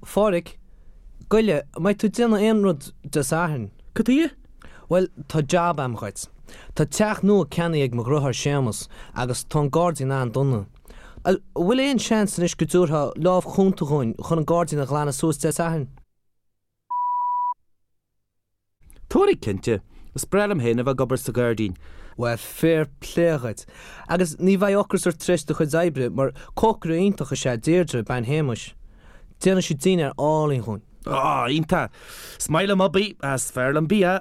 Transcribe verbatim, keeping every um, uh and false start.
Phádraig, Goile, an mbeidh tú ag déanamh aon rud Dé Sathairn? Cad chuige? Bhuel, tá jab a'm dhuit. Tá teach nua ceannaithe ag mo dheartháir Séamus agus tá an gairdín an-dona. An bhfuil aon seans anois go dtabharfá lámh chúnta dhúinn chun an gairdín a ghlanadh suas Dé Sathairn? Tabharfaidh, cinnte. Is breá liom féin a bheith ag obair sa ghairdín. Bhuel, fair play dhuit. Agus ní bheidh ocras ort tar éis do chuid oibre mar cócaire iontach is ea Deirdre, bean Shéamais. Déanann sí dinnéar álainn dhúinn. Á, iontach! Is maith liom obair, is fearr liom bia!